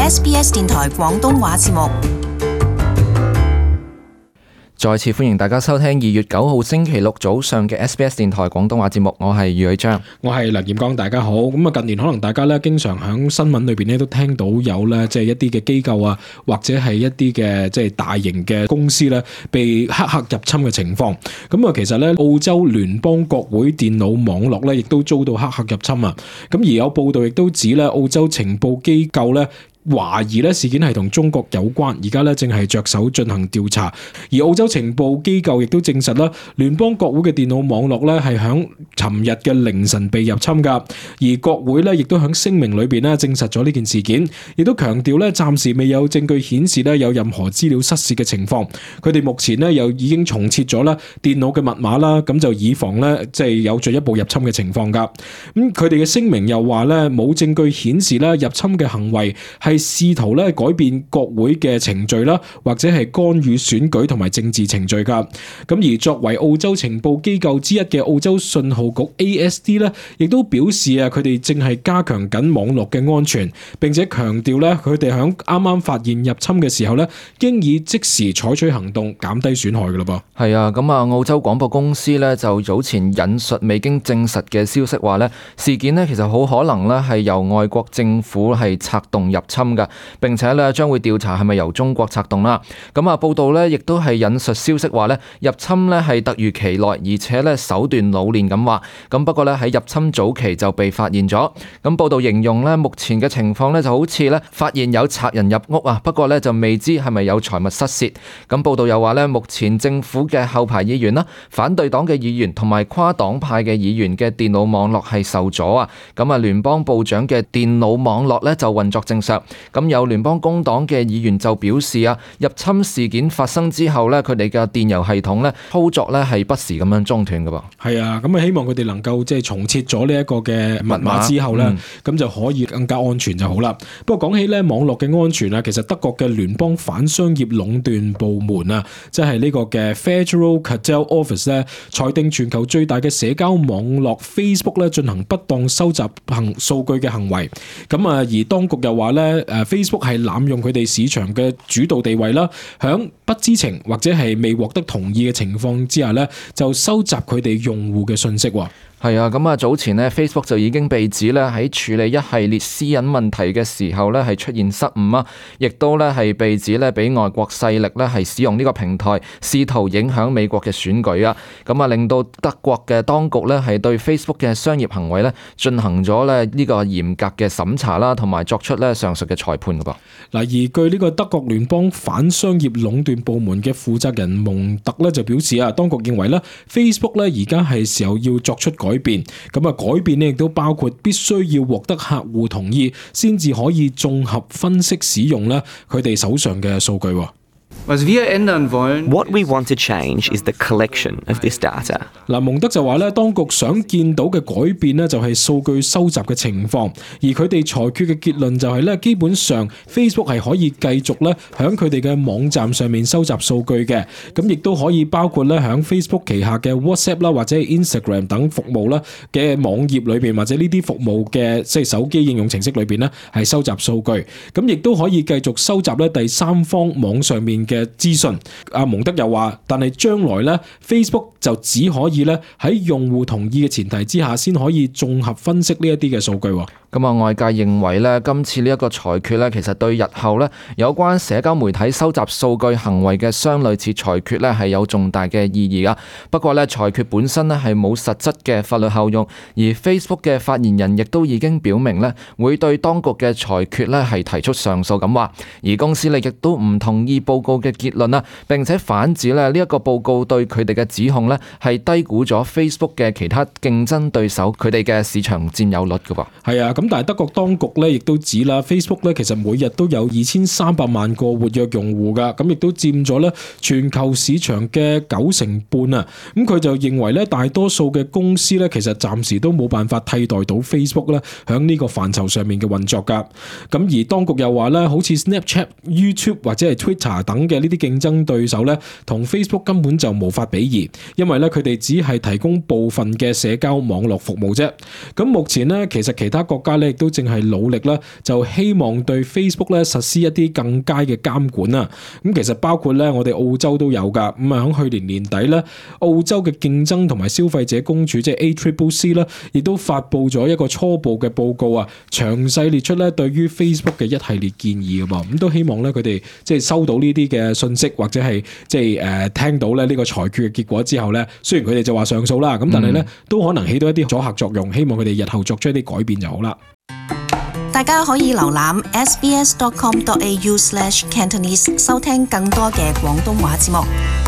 SBS 電台廣東話節目。再次歡迎大家收聽2月9號星期六早上嘅 SBS 電台廣東話節目，我係余偉章，我係梁劍剛，大家好。咁啊，近年可能大家咧經常喺新聞裏邊咧都聽到有咧即係一啲嘅機構啊，或者係一啲嘅即係大型嘅公司咧被黑客入侵嘅情況。咁啊，其實咧澳洲聯邦國會電腦網絡咧亦都遭到黑客入侵啊。咁而有報道亦都指咧澳洲情報機構咧懷疑咧事件係同中國有關，而家咧正係着手進行調查。而澳洲情報機構亦都證實啦，聯邦國會嘅電腦網絡咧係響尋日嘅凌晨被入侵噶。而國會咧亦都響聲明裏邊咧證實咗呢件事件，亦都強調咧暫時未有證據顯示咧有任何資料失竊嘅情況。佢哋目前咧又已經重設咗啦電腦嘅密碼啦，咁就以防咧即係有進一步入侵嘅情況噶。咁佢哋嘅聲明又話咧冇證據顯示咧入侵嘅行為係試圖咧改變國會嘅程序啦，或者係干預選舉同埋政治程序噶。咁而作為澳洲情報機構之一嘅澳洲信號局 ASD 咧，亦都表示啊，佢哋正係加強緊網絡嘅安全，並且強調咧佢哋響啱啱發現入侵嘅時候咧，經已即時採取行動減低損害噶啦噃。係啊，咁啊澳洲廣播公司咧就早前引述未經證實嘅消息話咧，事件咧其實好可能咧係由外國政府係策動入侵嘅，並且咧將會調查係咪由中國策動啦。咁啊報道咧亦都係引述消息話咧，入侵咧係突如其來，而且咧手段老練咁話。咁不過咧喺入侵早期就被發現咗。咁報道形容咧目前嘅情況咧就好似咧發現有賊人入屋啊，不過咧就未知係咪有財物失竊。咁報道又話咧，目前政府嘅後排議員啦、反對黨嘅議員同埋跨黨派嘅議員嘅電腦網絡係受阻啊。咁啊聯邦部長嘅電腦網絡咧就運作正常。咁有聯邦工黨嘅議員就表示啊，入侵事件發生之後咧，佢哋嘅電郵系統咧操作咧係不時咁樣中斷㗎噃。係啊，咁啊希望佢哋能夠即係重設咗呢一個嘅密碼之後咧，咁就可以更加安全就好啦。不過講起咧網絡嘅安全啊，其實德國嘅聯邦反商業壟斷部門啊，即係呢個嘅 Federal Cartel Office 咧，裁定全球最大嘅社交網絡 Facebook 咧進行不當收集數據嘅行為。咁啊，而當局又話咧Facebook 係濫用佢哋市場嘅主導地位啦，響不知情或者係未獲得同意嘅情況之下咧，就收集佢哋用戶嘅信息。係啊，咁啊早前呢 Facebook 就已經被指咧喺處理一系列私隱問題嘅時候咧係出現失誤啊，亦都咧係被指咧俾外國勢力咧係使用呢個平台試圖影響美國嘅選舉啊，咁啊令到德國嘅當局咧係對 Facebook 嘅商業行為咧進行咗咧呢個嚴格嘅審查啦，同埋作出咧上述嘅裁判㗎噃。嗱，而據呢個德國聯邦反商業壟斷部門嘅負責人蒙特咧就表示啊，當局認為咧 Facebook 咧而家係時候要作出改變，咁啊改變咧亦都包括必須要獲得客戶同意，先至可以綜合分析使用咧佢哋手上嘅數據。What we want to change is the collection of this data. 嗱，蒙德就話咧，當局想見到嘅改變咧，就係數據收集嘅情況，而佢哋裁決嘅結論就係咧，基本上 Facebook 係可以繼續咧響佢哋嘅網站上面收集數據嘅，咁亦都可以包括咧響 Facebook 旗下嘅 WhatsApp 啦，或者係 Instagram 等服務啦嘅網頁裏邊，或者呢啲服務嘅即係手機應用程式裏邊咧係收集數據，咁亦都可以繼續收集咧第三方網上面嘅資訊。阿蒙德又話，但係將來咧 Facebook 就只可以咧喺用戶同意嘅前提之下，先可以綜合分析呢一啲嘅數據。咁啊，外界認為咧，今次呢一個裁決咧，其實對日後咧有關社交媒體收集數據行為嘅相類似裁決咧，係有重大嘅意義噶。不過咧，裁決本身咧係冇實質嘅法律效用，而 Facebook 嘅發言人亦都已經表明咧，會對當局嘅裁決咧係提出上訴咁話。而公司咧亦都唔同意報告嘅結論啦，並且反指咧呢一個報告對佢哋嘅指控咧係低估咗 Facebook 嘅其他競爭對手佢哋嘅市場佔有率噶噃。係啊。咁但係德國當局咧亦都指啦 ，Facebook 咧其實每日都有2300萬個活躍用戶噶，咁亦都佔咗咧全球市場嘅90%啊。咁佢就認為咧，大多數嘅公司咧其實暫時都冇辦法替代到 Facebook 咧響呢個範疇上面嘅運作噶。咁而當局又話咧，好似 Snapchat、YouTube 或者係 Twitter 等嘅呢啲競爭對手咧，同 Facebook 根本就無法比擬，因為咧佢哋只係提供部分嘅社交網絡服務啫。咁目前咧，其實其他國家咧亦都正係努力啦，就希望對 Facebook 咧實施一啲更加嘅監管啊。咁其實包括咧我哋澳洲都有㗎。咁啊喺去年年底咧，澳洲嘅競爭同埋消費者公署即係 ACCC 啦，亦都發布咗一個初步嘅報告啊，詳細列出咧對於 Facebook 嘅一系列建議㗎噃。咁都希望咧佢哋即係收到呢啲嘅信息，或者係即係聽到咧呢個裁決嘅結果之後咧，雖然佢哋就話上訴啦，咁但係咧都可能起到一啲阻嚇作用，希望佢哋日後作出一啲改變就好啦。大家可以瀏覽 sbs.com.au/Cantonese 收聽更多嘅廣東話節目。